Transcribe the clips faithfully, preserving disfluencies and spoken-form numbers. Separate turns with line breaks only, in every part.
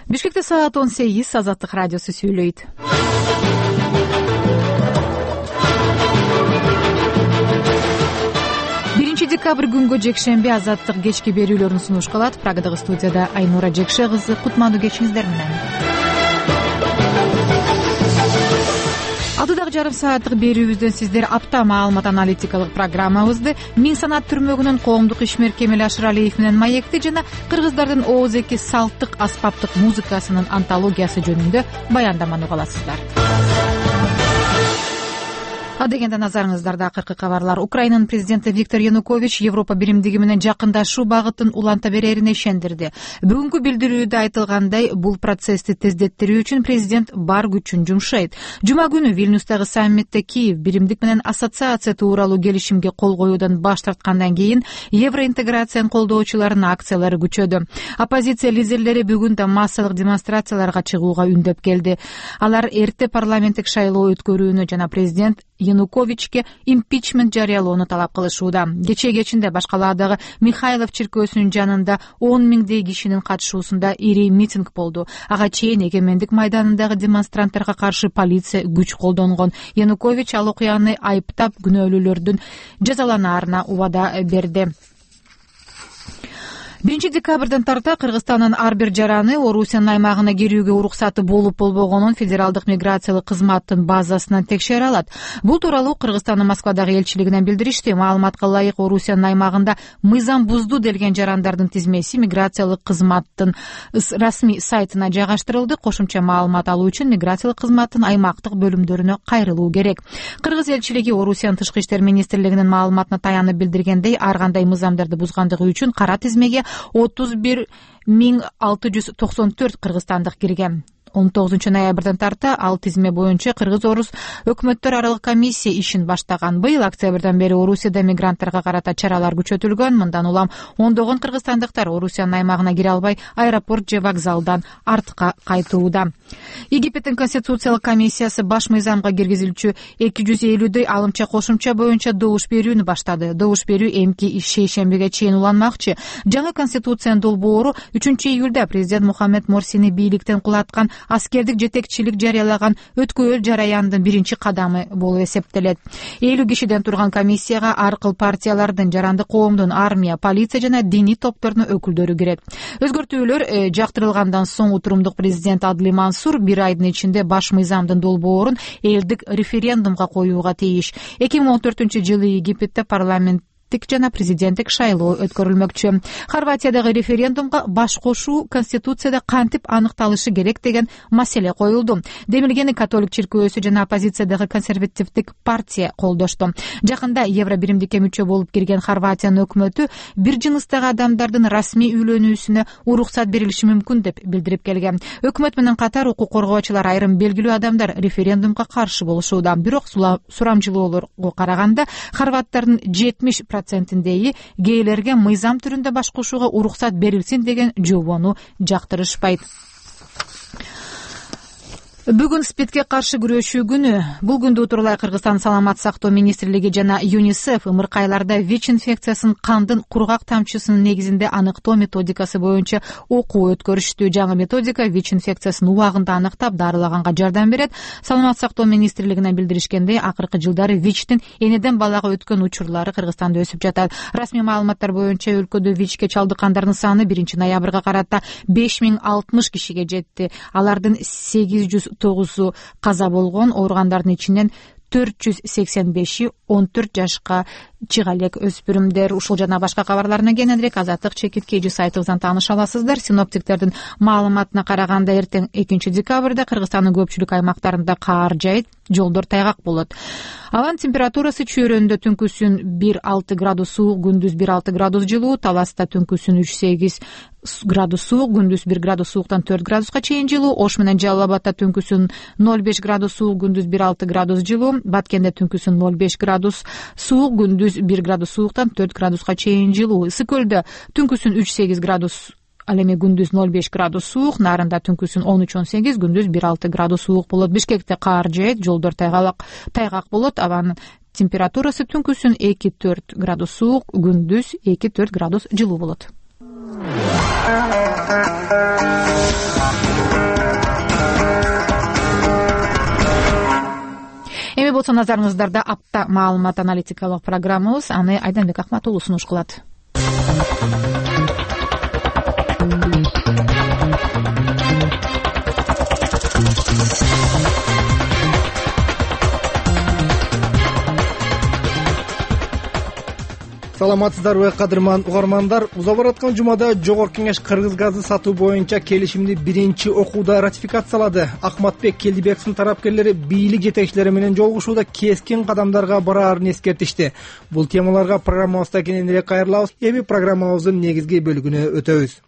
Бишкекте саат он сегиз. Азаттык радиосу сүйлөйт. биринчи декабрь күнгө жекшемби Азаттык кечки берүүлөрүн сунуш кылат. Прагадагы студияда Айнура Жекше кызы. Кутмандуу кечиңиздер менен. Алдыдагы жарым сааттык берүүбүздөн сиздер апта маалымат аналитикалык программабызды, Миң санат түрмөгүнүн коомдук ишмер Кемел Ашыралиев менен маекти жана кыргыздардын ооз-эки салттык аспаптык музыкасынын антологиясы жөнүндө баяндаманы уга аласыздар. Адегенде назарыңыздарда акыркы кабарлар. Украинанын президенти Виктор Янукович Европа биримдиги менен жакындашуу багытын уланта берерине ишендирди. Бүгүнкү билдирүүдө айтылгандай, бул процессти тездеттирүү үчүн президент бар күчүн жумшайт. Жума күнү Вильнюстагы саммитте Киев биримдик менен ассоциация тууралуу келишимге кол коюудан баш тарткандан кийин евроинтеграцияны колдоочулардын акциялары күчөдү. Оппозиция лидерлери бүгүн да массалык демонстрацияларга чыгууга үндөп келди. Алар эрте парламенттик шайлоо өткөрүүнү жана президент Януковичке импичмент жарыялоону талап кылышууда. Кечээ кечинде башкалаадагы Михайлов чиркөөсүнүн жанында он миңдей кишинин катышуусунда ири митинг болду. Ага чейин Эгемендик майданындагы демонстранттарга каршы полиция күч колдонгон. Янукович ал окуяны айыптап, күнөөлүүлөрдүн жазаланаарына убада берди. биринчи декабрдан тарта Кыргызстандын ар бир жараны Орусиянын аймагына кирүүгө уруксаты болуп болбогонун Федералдык миграциялык кызматтын базасынан текшере алат. Бул тууралуу Кыргызстандын Москвадагы элчилигинен билдиришти. Маалыматка ылайык, Орусиянын аймагында мыйзам бузду делген жарандардын тизмеси миграциялык кызматтын расмий сайтына жайгаштырылды. Кошумча маалымат алуу үчүн миграциялык кызматтын аймактык бөлүмдөрүнө кайрылуу керек. Кыргыз элчилиги Орусиянын тышкы иштер министрлигинин маалыматына таянып билдиргендей, ар кандай мыйзамдарды бузгандыгы үчүн кара тизмеге отуз бир миң алты жүз токсон төрт кыргызстандык кирген. он тогузунчу ноябрдан тарта ал тизме боюнча Кыргыз-Орус өкмөттөр аралык комиссия ишин баштаган. Быйыл октябрдан бери Орусияда мигранттарга карата чаралар күчөтүлгөн. Мындан улам ондогон кыргызстандыктар Орусиянын аймагына кире албай, аэропорт же вокзалдан артка кайтууда. Египеттин конституциялык комиссиясы баш мыйзамга киргизилчү эки жүз элүүдөй алымча кошумча боюнча добуш берүүнү баштады. Добуш берүү эмки шейшембиге чейин уланмакчы. Жаңы конституциянын долбоору үчүнчү июлда президент Мухаммед Морсини бийликтен кулаткан аскердик жетекчилик жарыялаган өткөөл жараяндын биринчи кадамы болуп эсептелет. элүү кишиден турган комиссияга ар кыл партиялардын, жарандык коомдун, армия, полиция жана диний топтордун өкүлдөрү кирет. Өзгөртүүлөр жактырылгандан соң утурумдук президент Адли Мансур бир айдын ичинде баш мыйзамдын долбоорун элдик референдумга коюуга тийиш. эки миң он төртүнчү жылы Египетте парламент жана президенттик шайлоо өткөрүлмөкчү. Хорватиядагы референдумга баш кошуу конституцияда кантип аныкталышы керек деген маселе коюлду. Демилгени католик чиркөөсү жана оппозициядагы консервативдик партия колдошту. Жакында Евро биримдикке мүчө болуп кирген Хорватиянын өкмөтү бир жыныстагы адамдардын расмий үйлөнүүсүнө уруксат берилиши мүмкүн деп билдирип келген. Өкмөт менен катар укук коргоочулар, айрым белгилүү адамдар референдумга каршы болушууда. Бирок сурамжылоолорго караганда хорваттардын жетимиш процентиндеги гейлерге мыйзам түрүндө баш кошууга уруксат берилсин деген жобону жактырышпайт. Бүгүн СПИДке каршы күрөшүү күнү. Бул күндү утурлай Кыргызстан саламат сактоо министрлиги жана ЮНИСЕФ ымыркайларда ВИЧ инфекциясын кандын кургак тамчысынын негизинде аныктоо методикасы боюнча окуу өткөрүштү. Жаңы методика ВИЧ инфекциясын убагында аныктап, дарылаганга жардам берет. Саламат сактоо министрлигинен билдиришкендей, акыркы жылдары ВИЧтин энеден балага өткөн учурлары Кыргызстанда өсүп жатат. Расмий маалыматтар боюнча өлкөдө ВИЧке чалдыккандардын саны биринчи ноябрга карата беш миң алтымыш кишиге жетти. Алардын сегиз жүз тогузу каза болгон, ооругандардын ичинен төрт жүз сексен беши он төрт жашка чыга элек өспүрүмдөр. Ушул жана башка кабарларына кененирээк Азаттык чекиткейжи сайтыбыздан тааныша аласыздар. Синоптиктердин маалыматына караганда эртең экинчи декабрда Кыргызстандын көпчүлүк аймактарында каар жайыт, жолдор тайгак болот. Абанын температурасы чөйрөндө түнкүсүн бир алты градус суук, күндүз бир алты градус жылуу, Таласта түнкүсүн үч сегиз градус суук, күндүз бир градус сууктан төрт градуска чейин жылуу, Ош менен Жалал Абадта түнкүсүн ноль беш градус суук, күндүз бир алты градус жылуу, Баткенде түнкүсүн ноль беш градус суук, күндүз бир градус сууктан төрт градуска чейин жылуу, Ысык көлдө түнкүсүн үч сегиз градус, ал эми күндүз ноль беш градус суук, Нарында түнкүсүн он үч он сегиз, күндүз бир алты градус суук болот. Бишкекте каар жаайт, жолдор тайгак тайгак болот. Абанын температурасы түнкүсүн эки төрт градус суук, күндүз эки төрт градус жылуу болот. болсо назарыңыздарда апта маалымат аналитикалык программабыз, аны Айданбек Акматулуу сунуш кылат.
Саламатсыздарбы, кадырман угармандар. Уза бараткан жумада Жогорку Кеңеш кыргыз газы сатуу боюнча келишимди биринчи окууда ратификациялады. Акматбек Келдибековдун тарапкерлери бийлик жетекчилери менен жолугушууда кескин кадамдарга бараарын эскертишти. Бул темаларга программабызда кененирээк кайрылабыз. Эми программабыздын негизги бөлүгүнө өтөбүз.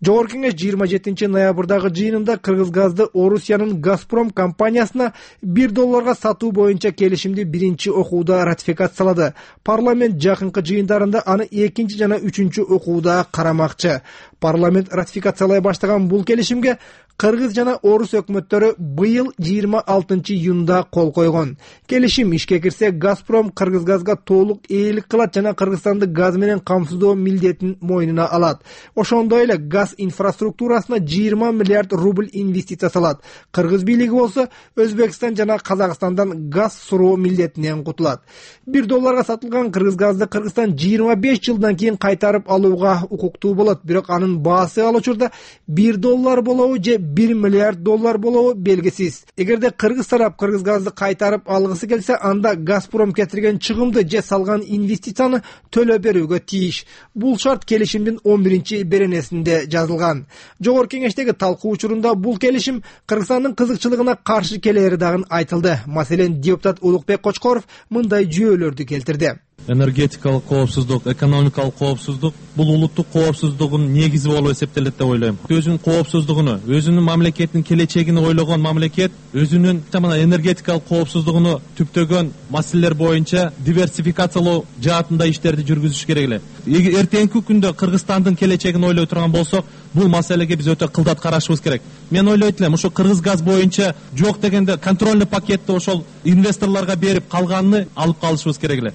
Жогорку Кеңеш жыйырма жетинчи ноябрдагы жыйынында кыргыз газды Орусиянын Газпром компаниясына бир долларга сатуу боюнча келишимди биринчи окууда ратификациялады. Парламент жакынкы жыйындарында аны экинчи жана үчүнчү окууда карамакчы. Парламент ратификациялай баштаган бул келишимге кыргыз жана орус өкмөттөрү быйыл жыйырма алтынчы июнда кол койгон. Келишим ишке кирсе, Газпром кыргыз газга толук ээлик кылат жана Кыргызстанды газ менен камсыздоо милдетин мойнуна алат. Ошондой эле газ инфраструктурасына жыйырма миллиард рубль инвестиция салат. Кыргыз бийлиги болсо Өзбекстан жана Казакстандан газ суроо милдетинен кутулат. бир долларга сатылган кыргыз газды Кыргызстан жыйырма беш жылдан кийин кайтарып алууга укуктуу болот. Бирок анын баасы ал учурда бир доллар болобу же бир миллиард доллар болобу белгисиз. Эгерде кыргыз тарап кыргыз газды кайтарып алгысы келсе, анда Газпром кетирген чыгымды же салган инвестицияны төлөп берүүгө тийиш. Бул шарт келишимдин он биринчи беренесинде жазылган. Жогорку Кеңештеги талкуу учурунда бул келишим Кыргызстандын кызыкчылыгына каршы келери дагы айтылды. Маселен, депутат Улукбек Кочкоров мындай жүйөлөрдү келтирди.
Энергетикалык коопсуздук, экономикалык коопсуздук бул улуттук коопсуздугунун негизи болуп эсептелет деп ойлойм. Өзүнүн коопсуздугуну, өзүнүн мамлекетинин келечегин ойлогон мамлекет өзүнүн жамана энергетикалык коопсуздугуну түптөгөн маселелер боюнча диверсификациялоо жаатында иштерди жүргүзүш керек эле. Эртеңки күндө Кыргызстандын келечегин ойлой турган болсок, бул маселеге биз өтө кылдат карашыбыз керек. Мен ойлойт элем, ошо кыргыз газ боюнча жок дегенде контрольный пакетти ошол инвесторлорго берип калганын алып калышыбыз керек эле.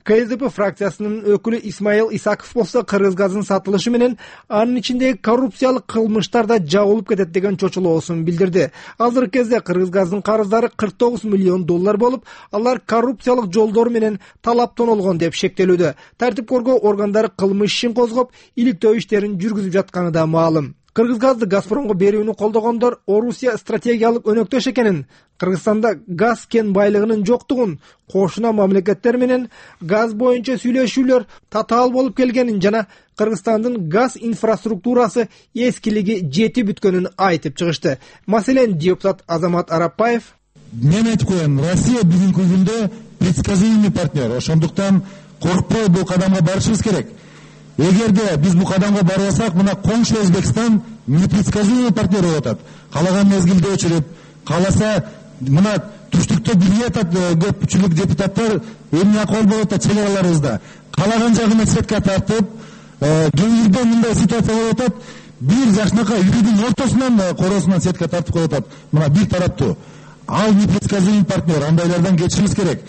Ка эс дэ пэ фракциясынын өкүлү Исмаил Исаков болсо, кыргыз газын сатылышы менен анын ичиндеги коррупциялык кылмыштар да жабылып кетет деген чочулоосун билдирди. Азыркы кезде кыргыз газдын карыздары кырк тогуз миллион доллар болуп, алар коррупциялык жолдор менен талаптан олгон деп шектелүүдө. Тартип коргоо органдары кылмыш ишин козгоп, иликтөө иштерин жүргүзүп жатканы да маалым. Кыргыз газды Газпромго берүүнү колдогондор Орусия стратегиялык өнөктөш экенин, Кыргызстанда газ кен байлыгынын жоктугун, кошуна мамлекеттер менен газ боюнча сүйлөшүүлөр татаал болуп келгенин жана Кыргызстандын газ инфраструктурасы эскилиги жети бүткөнүн айтып чыгышты. Маселен, депутат Азамат Арапбаев:
мен айтып коем, Россия бүгүнкү күндө предсказуемый партнер. Ошондуктан коркпой бул кадамга барышыбыз керек. Эгерде биз бул кадамга барбасак, мына коңшу Өзбекстан непредсказуемый партнер болуп атат. Калаган мезгилде өчүрөт, кааласа мына түштүктө билип атат көпчүлүк депутаттар, эмне акыл болуп атат чек араларыбызда. Калаган жагына сетка тартып, кээ мындай ситуация болуп атат. Бир жакшынакай үйдүн ортосунан коросунан сетка тартып коюп атат. Мына бир тараптуу. Ал непредсказуемый партнер, андайлардан кетишибиз керек.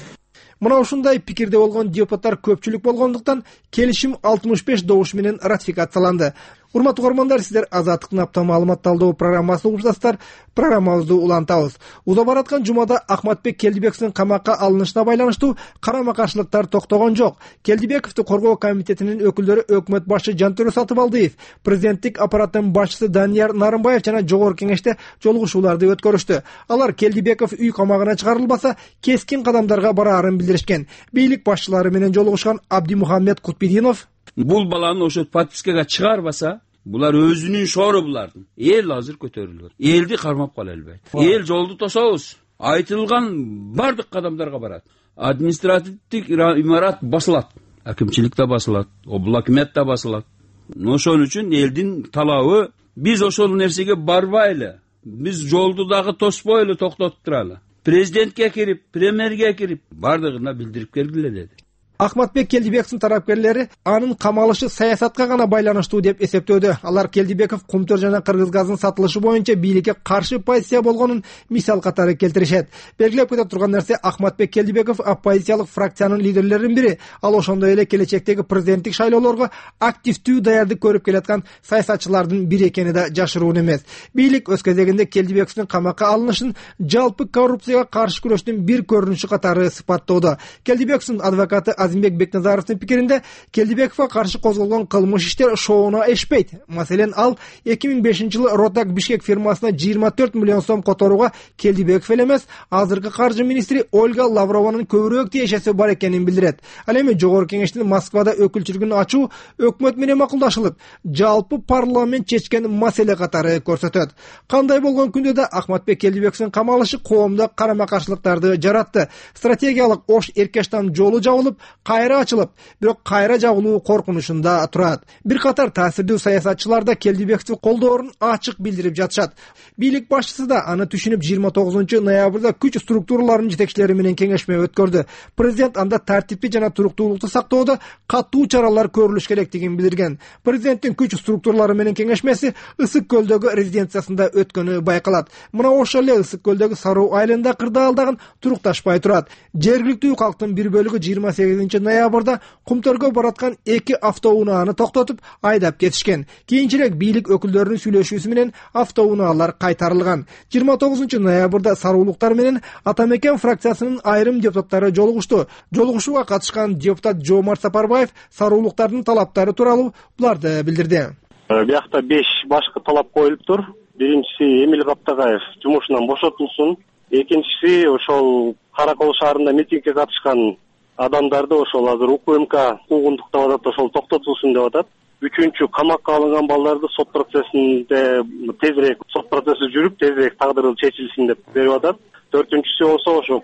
Мына ушундай пикирде болгон депутаттар көпчүлүк болгондуктан келишим алтымыш беш добуш менен ратификацияланды. Урматтуу угармандар, сиздер Азаттыктын апта маалымат талдоо программасын угушасыздар. Программабызды улантабыз. Уза бараткан жумада Акматбек Келдибековдун камакка алынышына байланыштуу карама каршылыктар токтогон жок. Келдибековду коргоо комитетинин өкүлдөрү өкмөт башчы Жантөрө Сатыбалдиев, президенттик аппараттын башчысы Данияр Нарымбаев жана Жогорку Кеңеште жолугушууларды өткөрүштү. Алар Келдибеков үй камагына чыгарылбаса, кескин кадамдарга бараарын билдиришкен. Бийлик башчылары менен жолугушкан Абдимухаммед Кутбидинов:
бул баланы ошо подпискага чыгарбаса, булар өзүнүн шору булардын. Эл азыр көтөрүлөт. Элди кармап кала албайт. Эл жолду тособуз. Айтылган бардык кадамдарга барат. Административдик имарат басылат. Акимчилик да басылат, облакмет да басылат. Ошон үчүн элдин талабы биз ошол нерсеге барбайлы. Биз жолду дагы тоспойлу, токтотуп туралы. Президентке кирип, премьерге кирип, бардыгына билдирип келгиле деди.
Акматбек Келдибековдун тарапкерлери анын камалышы саясатка гана байланыштуу деп эсептөөдө. Алар Келдибеков Кумтөр жана Кыргыз газынын сатылышы боюнча бийликке каршы позиция болгонун мисал катары келтиришет. Белгилеп кете турган нерсе, Акматбек Келдибеков оппозициялык фракциянын лидерлеринин бири. Ал ошондой эле келечектеги президенттик шайлоолорго активдүү даярдык көрүп келаткан саясатчылардын бири экени да жашыруун эмес. Бийлик өз кезегинде Келдибековдун камакка алынышын жалпы коррупцияга каршы күрөштүн бир көрүнүшү катары сыпаттоодо. Келдибековдун адвокаты Азимбек Бекназаровдун пикиринде, Келдибековго каршы козголгон кылмыш иштер шооуна эшпейт. Маселен, ал эки миң бешинчи жылы Ротак Бишкек фирмасына жыйырма төрт миллион сом которууга Келдибеков эле эмес, азыркы каржы министри Ольга Лаврованын көбүрөөк тиешеси бар экенин билдирет. Ал эми Жогорку Кеңештин Москвада өкүлчүлүгүн ачуу өкмөт менен макулдашылып, жалпы парламент чечкен маселе катары көрсөтөт. Кандай болгон күндө да Акматбек Келдибековдун камалышы коомдо карама-каршылыктарды жаратты. Стратегиялык ош эркештам жолу жабылып, кайра ачылып, бирок кайра жабылуу коркунучунда турат. Бир катар таасирдүү саясатчылар да Келдибековду колдоорун ачык билдирип жатышат. Бийлик башчысы да аны түшүнүп жыйырма тогузунчу ноябрда күч структураларынын жетекчилери менен кеңешме өткөрдү. Президент анда тартипти жана туруктуулукту сактоодо катуу чаралар көрүлүш керектигин билдирген. Президенттин күч структуралары менен кеңешмеси Ысык көлдөгү резиденциясында өткөнү байкалат. Мына ошол эле Ысык көлдөгү Саруу айылында кырдаалдаган турукташпай турат. Жергиликтүү калктын бир бөлүгү жыйырма сегизинчи ноябрда Кумтөргө бараткан эки автоунааны токтотуп айдап кетишкен. Кийинчерээк бийлик өкүлдөрүнүн сүйлөшүүсү менен автоунaalар кайтарылган. жыйырма тогузунчу ноябрда саруулуктар менен Атамекен фракциясынын айрым депутаттары жолугушту. Жолугушууга катышкан депутат Жоомарт Сапарбаев саруулуктардын талаптары тууралуу буларды билдирди.
Биякта беш башкы талап коюлуптур. Биринчиси Эмил Каптагаев жумушунан бошотулсун. Экинчиси ошол Каракол шаарында митингге катышкан адамдарды ошол азыр УКМК куугунтуктап атат, ошол токтотулсун деп атат. Үчүнчү, камакка алынган балдарды сот процессинде тезирээк, сот процесси жүрүп, тезирээк тагдыры чечилсин деп берип атат. Төртүнчүсү болсо ошо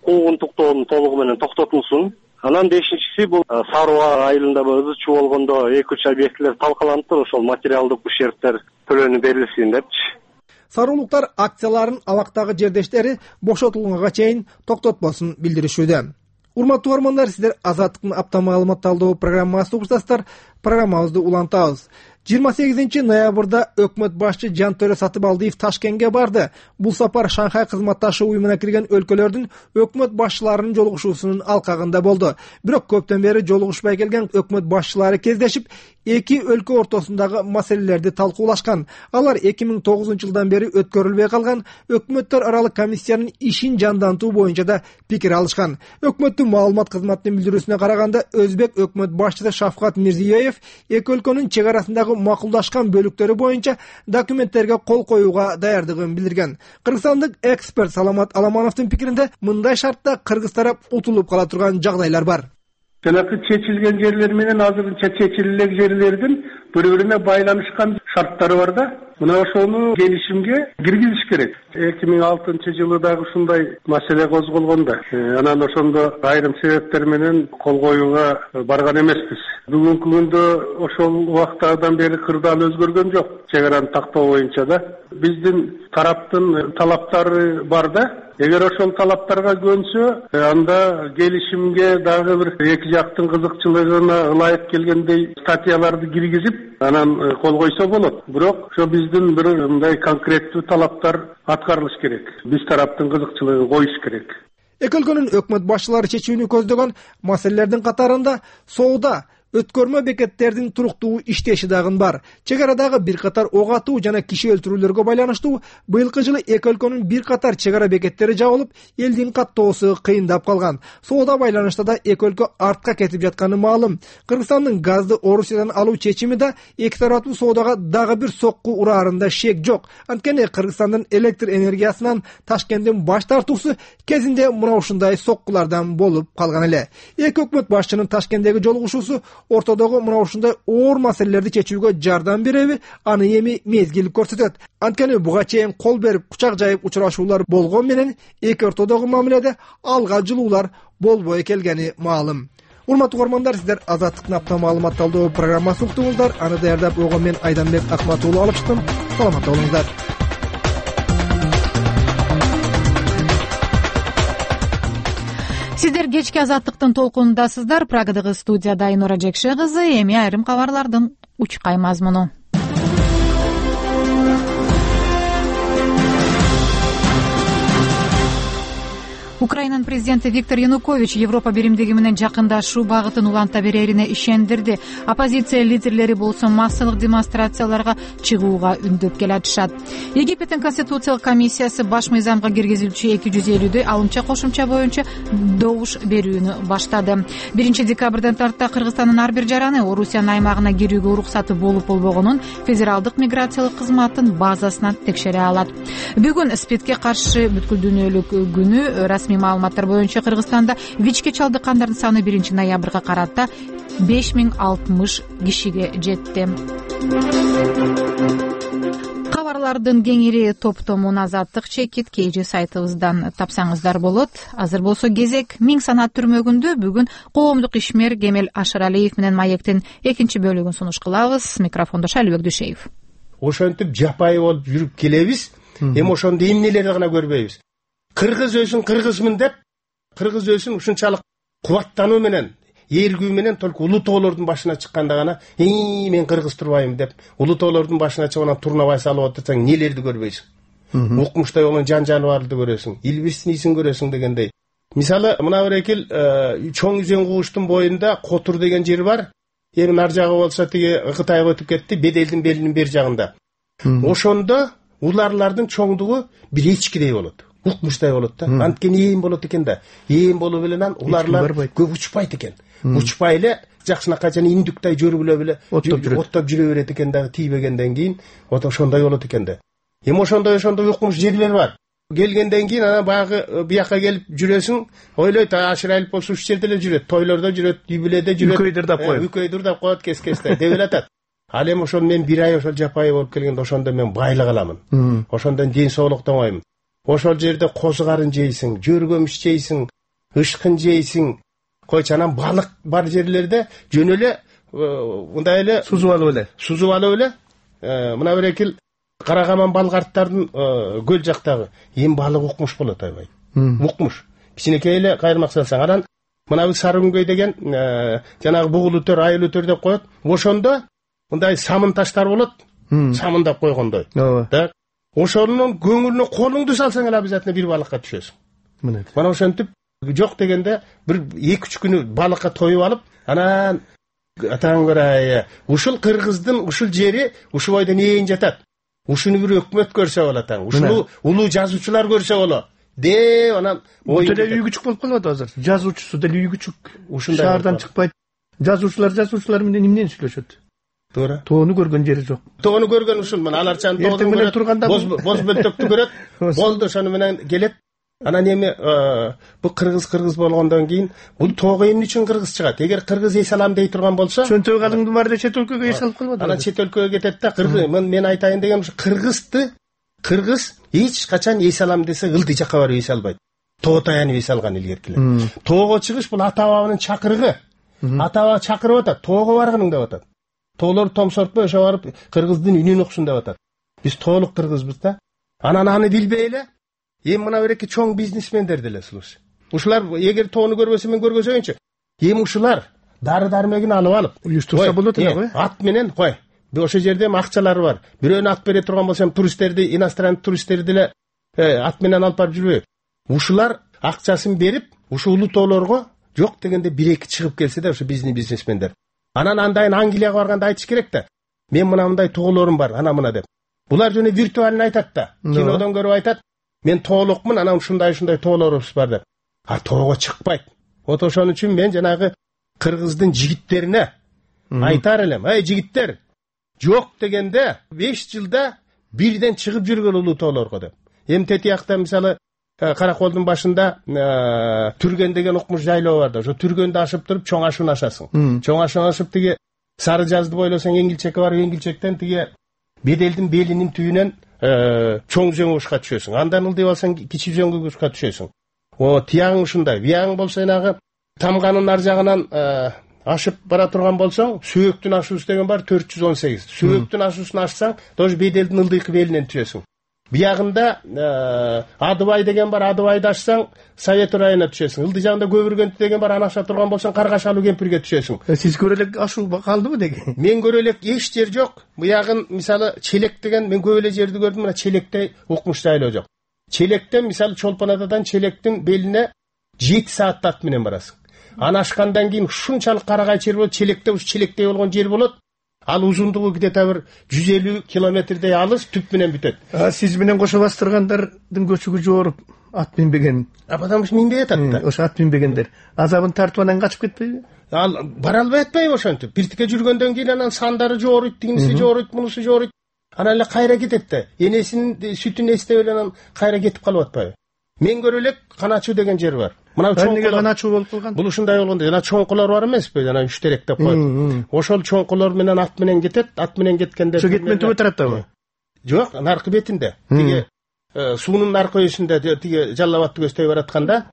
куугунтуктоонун толугу менен токтотулсун. Анан бешинчиси бул Саруу айылында ызы чуу болгондо эки үч объектилер талкаланып, ошол материалдык ущербтер төлөнүп берилсин депчи.
Саруулуктар акцияларын абактагы жердештери бошотулганга чейин токтотпосун билдиришүүдө. Урматтуу угармандар, сиздер Азаттыктын апта маалымат талдоо программасы угушасыздар. Программабызды улантабыз. жыйырма сегизинчи ноябрда өкмөт башчы Жантөрө Сатыбалдиев Ташкентке барды. Бул сапар Шанхай кызматташуу уюмуна кирген өлкөлөрдүн өкмөт башчыларынын жолугушуусунун алкагында болду. Бирок көптөн бери жолугушпай келген өкмөт башчылары кездешип, эки өлкө ортосундагы маселелерди талкуулашкан. Алар эки миң тогузунчу жылдан бери өткөрүлбөй калган өкмөттөр аралык комиссиянын ишин жандантуу боюнча да пикир алышкан. Өкмөттүн маалымат кызматынын билдирүүсүнө караганда, Өзбек өкмөт башчысы Шавкат Мирзиёев эки өлкөнүн чек арасындагы макулдашкан бөлүктөрү боюнча документтерге кол коюуга даярдыгын билдирген. Кыргызстандык эксперт Саламат Аламановдун пикиринде, мындай шартта кыргыз тарап утулуп кала турган жагдайлар бар.
Жанакы чечилген жерлер менен азырынча чечилген жерлердин бири-бирине байланышкан шарттары бар да. Мына ошону келишимге киргизиш керек. эки миң алтынчы жылы дагы ушундай маселе козголгондо, анан ошондо айрым себептер менен кол коюуга барган эмеспиз. Бүгүнкү күндө ошол убактардан бери кырдаал өзгөргөн жок. Чек араны тактоо боюнча да биздин тараптын талаптары бар да. Эгер ошол талаптарга көнсө, анда келишимге дагы бир эки жактын кызыкчылыгына ылайык келгендей статьяларды киргизип, анан кол койсо болот. Бирок ошо биздин бир мындай конкреттүү талаптар аткарылыш керек. Биз тараптын кызыкчылыгын коюш керек.
Эки өлкөнүн өкмөт башчылары чечүүнү көздөгөн маселелердин катарында соода, өткөрмө бекеттердин туруктуу иштеши дагы бар. Чек арадагы бир катар ок атуу жана киши өлтүрүүлөргө байланыштуу быйылкы жылы эки өлкөнүн бир катар чек ара бекеттери жабылып, элдин каттоосу кыйындап калган. Соода байланышта да эки өлкө артка кетип жатканы маалым. Кыргызстандын газды Орусиядан алуу чечими да эки тараптуу соодага дагы бир сокку ураарында шек жок. Анткени Кыргызстандын электр энергиясынан Ташкенттин баш тартуусу кезинде мына ушундай соккулардан болуп калган эле. Эки өкмөт башчынын Ташкенттеги жолугушуусу ортодогу мына ушундай оор маселелерди чечүүгө жардам береби, аны эми мезгил көрсөтөт. Анткени буга чейин кол берип, кучак жайып учурашуулар болгон менен эки ортодогу мамиледе алга жылуулар болбой келгени маалым. Урматтуу угармандар, сиздер Азаттыктын апта маалымат талдоо программасын уктуңуздар. Аны даярдап койгон мен Айданбек Акматуулу алып чыктым. Саламатта болуңуздар.
Сиздер кечки азаттыктын толкунундасыздар. Прагадагы студияда Айнура Жекше кызы. Эми айрым кабарлардын учкай мазмуну. Украинанын президенти Виктор Янукович Европа биримдиги менен жакындашуу багытын уланта берерине ишендирди. Оппозиция лидерлери болсо массалык демонстрацияларга чыгууга үндөп келатышат. Египеттин конституциялык комиссиясы баш мыйзамга киргизилчү эки жүз элүүдөй алымча кошумча боюнча добуш берүүнү баштады. биринчи декабрдан тарта Кыргызстандын ар бир жараны Орусиянын аймагына кирүүгө уруксаты болуп болбогонун федералдык миграциялык кызматтын базасынан текшере алат. Бүгүн СПИДке каршы бүткүл дүйнөлүк күнү. Расмий маалыматтар боюнча Кыргызстанда ВИЧке чалдыккандардын саны биринчи ноябрга карата беш миң алтымыш кишиге жетти. Кабарлардын кеңири топтомун Азаттык чекит кей же сайтыбыздан тапсаңыздар болот. Азыр болсо кезек Миң санат түрмөгүндө бүгүн коомдук ишмер Кемел Ашыралиев менен Маектин экинчи бөлүгүн сунуш кылабыз. Микрофондо Шалыбек Дүйшеев.
Ошентип жапайы болуп жүрүп келебиз. Эми ошондо эмнелерди гана көрбөйбүз. Кыргыз өзүн кыргызмын деп, кыргыз өзүн ушунчалык кубаттануу менен, эргүү менен только улуу тоолордун башына чыкканда гана, "Ий, мен кыргыз турбайм" деп, улуу тоолордун башына чыгып анан турнабай салып отурсаң, нелерди көрбөйсүң? Укмуштай болгон жан-жаныбарды көрөсүң, илбирсинисин көрөсүң дегендей. Мисалы, мына бир экил чоң үзөң кууштун боюнда Котур деген жер бар. Эми нар жагы болсо тиги Кытайга өтүп кетти, Беделдин белинин бер жагында. Ошондо уларлардын чоңдугу бир эчкидей болот. Укмуштай болот да. Анткени ээн болот экен да. Ээн болуп эле анан уларлар көп учпайт экен. Учпай эле жакшынакай жана индүктай жөрүлө эле оттоп жүрө берет экен да, тийбегенден кийин ото ошондой болот экен да. Эми ошондой ошондой укмуш жерлер бар. Келгенден кийин анан баягы бияка келип жүрөсүң, ойлойт, Ашыралиев болсо ушул жерде эле жүрөт, тойлордо жүрөт, юбилейде жүрөт.
Үкөйдөр деп коет.
Үкөйдөр деп коет кес-кесте деп элатат. Ал эми ошондо мен бир ай ошол жапайы болуп келгенде ошондо мен байлык аламын. Ошондон ден соолуктанбайм. Ошол жерде козу карын жейсиң, жөргөмүш жейсиң, ышкын жейсиң. Койчу анан балык бар жерлерде жөн эле мындай эле
сузуп алып эле.
Сузуп алып эле. Мына бир экил Карагаман балгартардын көл жактагы эң балык укмуш болот айбай. Укмуш. Кичинекей эле кайрмак салсаң, анан мына бир Сарыгүнгөй деген жанагы бугул өтөр, айыл өтөр деп коет. Ошондо мындай самын таштар болот. Самындап койгондой. Так. Ошонун көңүлүнө колуңду салсаң эле обязательно бир балыкка түшөсүң. Мына. Мана ошентип жок дегенде бир эки үч күнү балыкка тоюп алып, анан атаң көрөй, ушул кыргыздын ушул жери ушул бойдон ээн жатат. Ушуну бир өкмөт көрсө болот атаң. Ушуну улуу жазуучулар көрсө болот. Деп анан
ой деле үй күчүк болуп калат азыр. Жазуучусу деле үй күчүк. Ушундай шаардан чыкпайт. Жазуучулар жазуучулар менен эмнени сүйлөшөт? Туура. Тоону көргөн жери жок.
Тоону көргөн ушул мен алар чан тоonu
менен турганда
боз бөлтөктү көрөт. Болду ошону менен келет. Анан эми бул кыргыз кыргыз болгондон кийин бул тоого эмне үчүн кыргыз чыгат? Эгер кыргыз эс алам дей турган болсо,
чөнтөк алыңдын баары чет өлкөгө эс алып калбады.
Анан чет өлкөгө кетет да. Кыргыз мен айтайын деген ушу кыргызды кыргыз эч качан эс алам десе ылдый жакка барып эс албайт. Тоо таянып эс алган илгеркилер. Тоого чыгыш бул ата бабанын чакырыгы. Ата баба чакырып атат, тоого баргының деп атат. Тоолор томсортпой ошо барып кыргыздын үнүн уксун деп атат. Биз тоолук кыргызбыз да. Анан аны билбей эле эми мына бир эки чоң бизнесмендер деле слушай. Ушулар эгер тоону көрбөсө мен көргөзөйүнчү. Эми ушулар дары дармегин алып алып,
уюштурса болот эле го.
Ат менен кой. Ошол жерде акчалары бар. Бирөөнү ат бере турган болсом туристтерди, иностранный туристтерди деле ат менен алып барып жүрбөйбү. Ушулар акчасын берип, ушул улуу тоолорго жок дегенде бир эки чыгып келсе да ошо биздин бизнесмендер. Анан андайын Англияга барганда айтыш керек да. Мен мына мындай тоолорум бар, ана мына деп. Булар жөнү виртуально айтат да. Кинодон көрүп айтат. Мен тоолукмун, анан ушундай-ушундай тоолорубуз бар деп. А тоого чыкпайт. Вот ошон үчүн мен жанагы кыргыздын жигиттерине айтар элем. Эй жигиттер, жок дегенде беш жылда бирден чыгып жүргөн улуу тоолорго деп. Эми тетиякта мисалы Караколдун башында Түргөн деген укмуш жайлоо бар да. Ошо Түргөндү ашып туруп чоң ашууну ашасың. Чоң ашууну ашып тиги Сары жазды бойлосоң Эңгилчекке барып Эңгилчектен тиги Беделдин белинин түбүнөн чоң үзөң ушка түшөсүң. Андан ылдый болсоң кичи үзөңгө ушка түшөсүң. О, тияң ушундай. Бияң болсо энагы Тамганын ар жагынан ашып бара турган болсоң, Сөөктүн ашуусу деген бар төрт жүз он сегиз. Сөөктүн ашуусун ашсаң, тоже Беделдин ылдыйкы белинен түшөсүң. биягында Адыбай деген бар, Адыбайды ачсаң Совет районуна түшөсүң. Ылдый жагында Көбүргөнтү деген бар, аны аша турган болсоң Каргашалуу кемпирге түшөсүң.
Сиз көрө элек ашуу калдыбы деги?
Мен көрө элек эч жер жок. Буягын мисалы Челек деген, мен көп эле жерди көрдүм, мына Челекте укмуш жайлоо жок. Челектен мисалы Чолпон Атадан Челектин белине жети саат ат менен барасың. Аны ашкандан кийин ушунчалык карагай жер болот, Челекте уш Челектей болгон жер болот. Ал узундугу где-то бир жүз элүү километрдей алыс, түп менен бүтөт.
Сиз менен кошо бастыргандардын көчүгү жооруп ат минбеген.
А потому что минбей атат да.
Ошо ат минбегендер азабын тартып анан качып кетпейби?
Ал бара албай атпайбы ошентип? Биртике жүргөндөн кийин анан сандары жооруйт, тигиниси жооруйт, мунусу жооруйт. Анан эле кайра кетет да. Энесинин сүтүн эстеп эле анан кайра кетип калып атпайбы? Мен көрө элек Каначуу деген жер бар.
Мына чоңкулар Каначуу болуп калган.
Бул ушундай болгондо, жана чоңкулар бар эмеспи? Жана үч терек деп коет. Ошол чоңкулар менен ат менен кетет, ат менен кеткенде
Ошо кетмен түбө тараптабы?
Жок, наркы бетинде. Тиги суунун наркы өйүсүндө тиги Жалал Абадты көздөй баратканда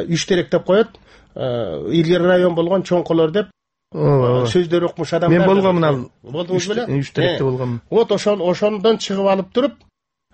үч терек деп коет. Илгери район болгон чоңкулар деп сөздөр окумуш адамдар.
Мен болгомун ал.
Болдуңуз беле?
үч теректе болгомун.
Вот ошол ошондон чыгып алып туруп,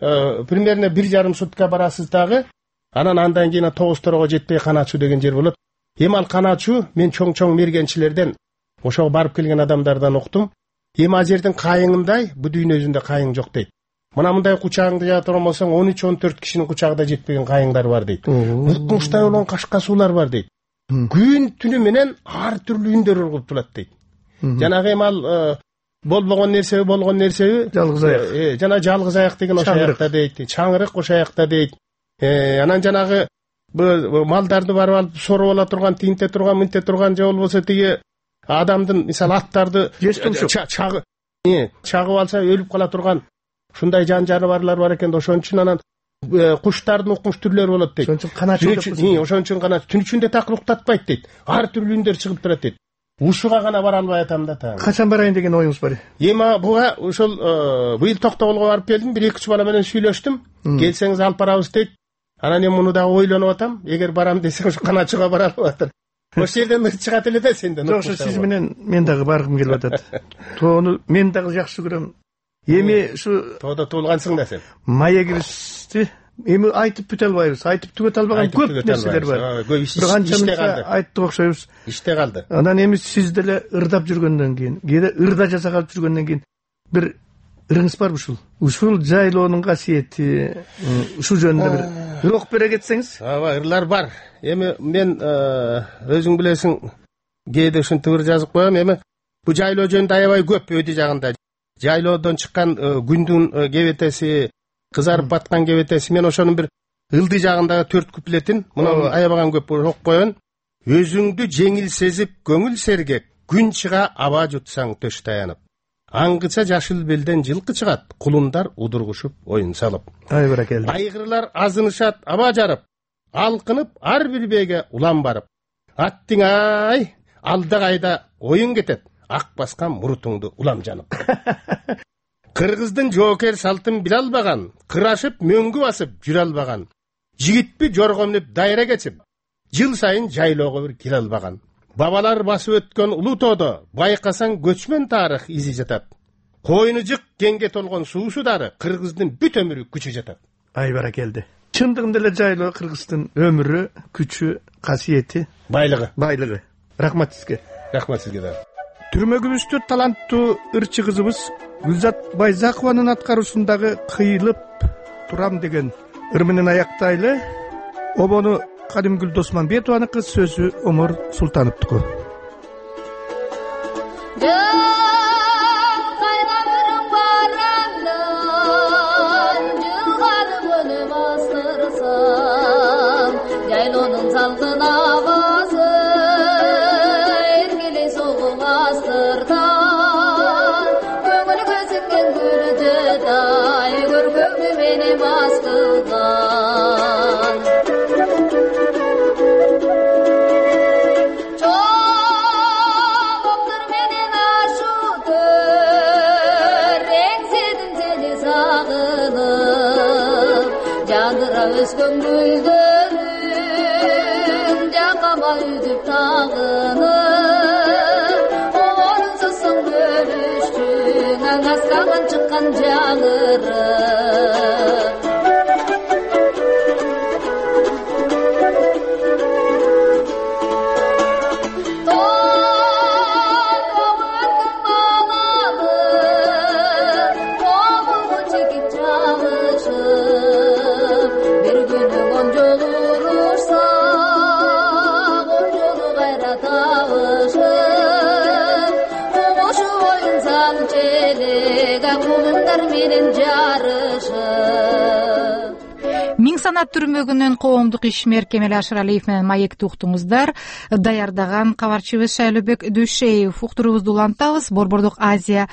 примерно бир жарым сутка барасыз дагы. Анан андан кийин тогуз торого жетпей Каначуу деген жер болот. Эми ал Каначуу мен чоң-чоң мергенчилерден, ошого барып келген адамдардан уктум. Эми ал жердин кайыңындай бу дүйнө жүзүндө кайың жок дейт. Мына мындай кучагыңды жаа турган болсоң он үч он төрт кишинин кучагы да жетпеген кайыңдар бар дейт. Укмуштай болгон кашкасуулар бар дейт. Күн түнү менен ар түрлүү үндөр ургуп турат дейт. Жанагы эми ал болбогон нерсеби, болгон нерсеби?
Жалгыз аяк.
Жана жалгыз аяк деген ошо аякта дейт. Чаңырык ошо аякта дейт. Анан жанагы малдарды барып алып соруп ала турган, тинте турган, мынте турган же болбосо тиги адамдын мисалы аттарды чагы чагып алса өлүп кала турган ушундай жан жаныбарлар бар экен да, ошон үчүн анан куштардын укмуш түрлөрү болот дейт.
Ошон үчүн Каначуу деп.
Ошон үчүн Каначуу түн ичинде так уктатпайт дейт. Ар түрлүү үндөр чыгып турат дейт. Ушуга гана бара албай атам да та.
Качан барайын деген оюңуз бар?
Эми буга ошол быйыл Токтогулга барып келдим, бир эки үч бала менен сүйлөштүм. Келсеңиз алып барабыз дейт. Анан эми муну дагы ойлонуп атам. Эгер барам десең ушу Каначууга бара алып атыр. Ошол жерден чыгат эле да сенден.
Жок, сиз менен мен дагы баргым келип атат. Тоону мен дагы жакшы көрөм. Эми ушу
тоодо туулгансың да сен.
Маегибизди эми айтып бүтө албайбыз. Айтып түгөт албаган көп нерселер бар.
Бир канча калды.
Айттык окшойбуз.
Иште калды.
Анан эми сиз деле ырдап жүргөндөн кийин, кээде ырда жасап жүргөндөн кийин бир ырыңыз барбы ушул? Ушул жайлоонун касиети, ушул жөнүндө бир ырок бере кетсеңиз?
Ооба, ырлар бар. Эми мен өзүң билесиң, кээде ушинтип ыр жазып коем. Эми бу жайлоо жөнүндө аябай көп өйдү жагында. Жайлоодон чыккан күндүн кебетеси, кызарып баткан кебетеси. Мен ошонун бир ылдый жагындагы төрт куплетин мына аябаган көп окуп коён. Өзүңдү жеңил сезип көңүл сергек, күн чыга аба жутсаң төш таянып. Аңгыча жашыл белден жылкы чыгат, кулундар удургушуп оюн салып.
Ай баракелди.
Айгырлар азынышат аба жарып, алкынып ар бир беге улам барып. Аттың ай, алда кайда оюн кетет, ак баскан мурутуңду улам жанып. Кыргыздын жоокер салтын биле албаган, кырашып мөңгү басып жүрө албаган. Жигитпи жоргомлуп дайра кечип, жыл сайын жайлоого бир келе албаган. Бабалар басып өткөн улуу тоодо байкасаң көчмөн тарых изи жатат. Койну жык кеңге толгон суусу дары кыргыздын бүт өмүрү күчү жатат.
Ай баракелди. Чындыгында эле жайлоо кыргыздын өмүрү, күчү, касиети,
байлыгы.
Байлыгы. Рахмат сизге.
Рахмат сизге да.
Түрмөгүбүздө таланттуу ырчы кызыбыз Гүлзат Байзакованын аткаруусундагы кыйылып турам деген ыр менен аяктайлы. Обону Кадимгүл Досманбетованыкы, сөзү Омор Султановдуку.
Жайлоонун салкын абасы эргелей согуп астыртан, көңүл көзүнген күрдөдай көркөмү менен баскылган. Чоңоктор менен ашуутөр эңседин сени сагынып, жандыра өскөн гүлдөрүм жакама үзүп тагынып, орунсузсуң бөлүштүң аң аскаган чыккан жаңырып. кыздар менен жарышып.
Миң санат түрмөгүнөн коомдук ишмер Кемел Ашыралиев менен маекти уктуңуздар. Даярдаган кабарчыбыз Шайлообек Дүйшеев. Уктуруубузду улантабыз. Борбордук Азия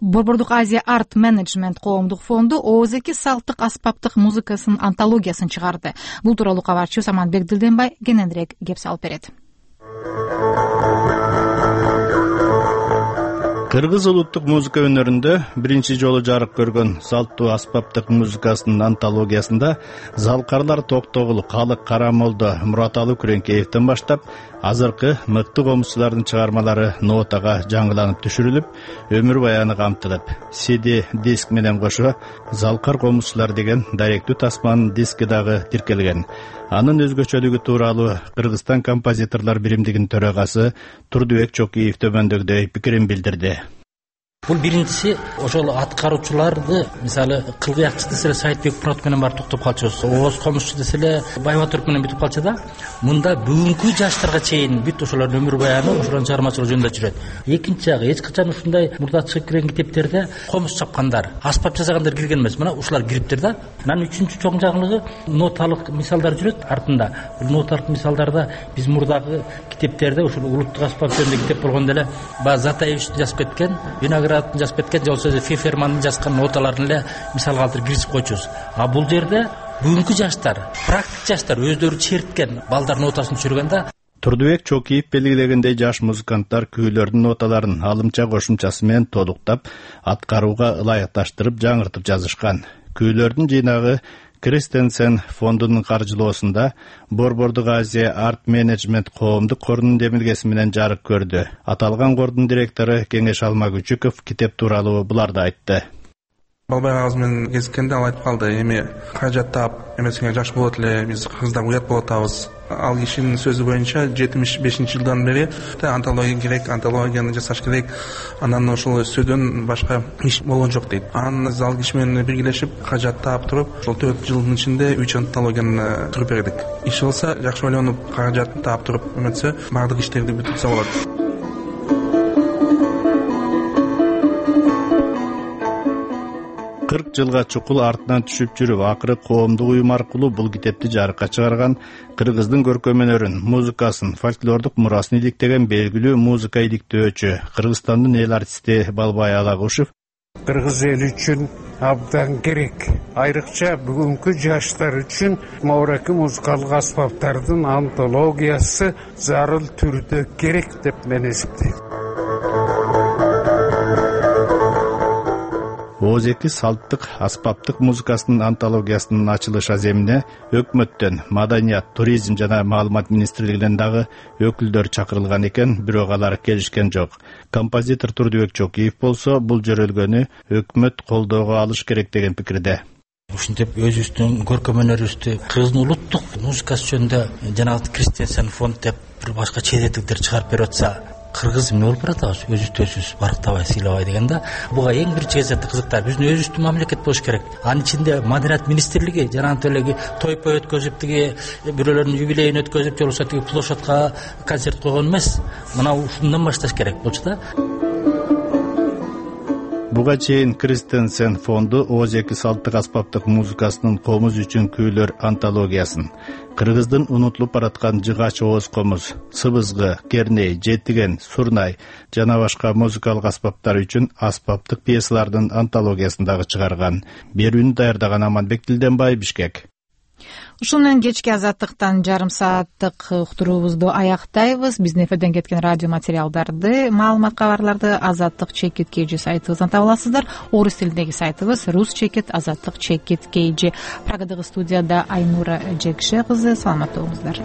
Борбордук Азия Арт Менеджмент коомдук фонду ооз эки салттык аспаптык музыкасынын антологиясын чыгарды. Бул тууралуу кабарчыбыз Аманбек Дилденбай кененирээк кеп салып берет.
Кыргыз улуттук музыка өнөрүндө биринчи жолу жарык көргөн салттуу аспаптык музыкасынын антологиясында залкарлар Токтогул, Калык Карамолдо, Мураталы Күреңкеевден баштап азыркы мыкты комузчулардын чыгармалары нотага жаңыланып түшүрүлүп, өмүр баяны камтылып, си ди диск менен кошо залкар комузчулар деген даректүү тасманын диски дагы тиркелген. Анын өзгөчөлүгү тууралуу Кыргызстан композиторлор биримдигинин төрагасы Турдубек Чокиев төмөндөгүдөй пикирин билдирди.
Бул биринчиси ошол аткаруучуларды, мисалы Кылгыякчы деселе Сайтбек Мурат менен бар токтоп калчубуз. Ооз комузчу деселе Байбатурук менен бүтүп калчу да. Мында бүгүнкү жаштарга чейин бүт ошолордун өмүр баяны, ошолордун чыгармачылык жөнүндө жүрөт. Экинчи жагы, эч качан ушундай мурда чыгып кирген китептерде комуз чапкандар, аспап жасагандар кирген эмес. Мына ушулар кириптир да. Анан үчүнчү чоң жаңылыгы ноталык мисалдар жүрөт артында. Бул ноталык мисалдарда биз мурдагы китептерде ушул улуттук аспап жөнүндө китеп болгондо эле Затаевичтин жазып кеткен, Винограддын жазып кеткен, же болбосо Фефермандын жазган ноталарын эле мисал калтырып киргизип койчубуз. А бул жерде бүгүнкү жаштар, практик жаштар өздөрү черткен балдар нотасын түшүргөн да.
Турдубек Чокиев белгилегендей, жаш музыканттар күүлөрдүн ноталарын алымча кошумчасы менен толуктап, аткарууга ылайыкташтырып, жаңыртып жазышкан. Күүлөрдүн жыйнагы Кристенсен фондунун каржылоосунда Борбордук Азия Арт Менеджмент коомдук корунун демилгеси менен жарык көрдү. Аталган кордун директору Кеңеш Алмагүчүков китеп тууралуу буларды айтты.
Балбай агыз менен кезиккенде ал айтып калды: эми каражат таап, эмесиңе жаш болот эле, биз кыздар уят болуп атабыз. Ал кишинин сөзү боюнча жетимиш бешинчи жылдан бери антология керек, антологияны жасаш керек. Анан ошол сөздөн башка иш болгон жок дейт. Анан ал киши менен биргелешип каражат таап туруп, ошол төрт жылдын ичинде үч антологияны түзүп бердик. Иш болсо жакшы ойлонуп, каражат таап туруп эметсе, баардык иштерди бүтүрсө болот.
кырк жылга чукул артынан түшүп жүрүп, акыры коомдук уюм аркылуу бул китепти жарыкка чыгарган, Кыргыздын көркөм өнөрүн, музыкасын, фольклордук мурасын иликтеген белгилүү музыка иликтөөчү Кыргызстандын эл артисти Балбай Алагушев
кыргыз эли үчүн абдан керек. Айрыкча бүгүнкү жаштар үчүн моореки музыкалык аспаптардын антологиясы зарыл түрдө керек деп мен эсептейм.
ооз эки салттык аспаптык музыкасынын антологиясынын ачылыш аземине өкмөттөн, маданият, туризм жана маалымат министрлигинен дагы өкүлдөр чакырылган экен, бирок алар келишкен жок. Композитор Турдубек Чокиев болсо бул жөрөлгөнү өкмөт колдоого алыш керек деген пикирде.
Ушинтип өзүбүздүн көркөм өнөрүбүздү Кыргыздын улуттук музыкасы жөнүндө жанагы Кристенсен фонд деп бир башка чет элдиктер чыгарып берип атса, кыргыз эмне болуп баратабыз, өзүбүздү өзүбүз барктабай, сыйлабай деген да. Буга эң биринчи кезекте кызыктар биздин өзүбүздүн мамлекет болуш керек. Анын ичинде маданият министрлиги жанагы элеги тойпо өткөзүп, тиги бирөөлөрдүн юбилейин өткөзүп, же болбосо тиги площадка концерт койгон эмес. Мына ушундан башташ керек болчу да.
Буга чейин Кристенсен фонду ооз эки салттык аспаптык музыкасынын комуз үчүн күүлөр антологиясын, Кыргыздын унутулуп бараткан жыгач ооз комуз, сыбызгы, керней, жетиген, сурнай жана башка музыкалык аспаптар үчүн аспаптык пьесалардын антологиясын дагы чыгарган. Берүүнү даярдаган Аманбек Дилденбай, Бишкек.
Ушун менен кечки азаттыктан жарым сааттык уктуруубузду аяктайбыз. Биздин эфирден кеткен радио материалдарды, маалымат кабарларды азаттык чекит kg сайтыбыздан таба аласыздар. Орус тилиндеги сайтыбыз рус чекит азаттык чекит kg. Прагадагы студияда Айнура Жекше кызы. Саламатта болуңуздар.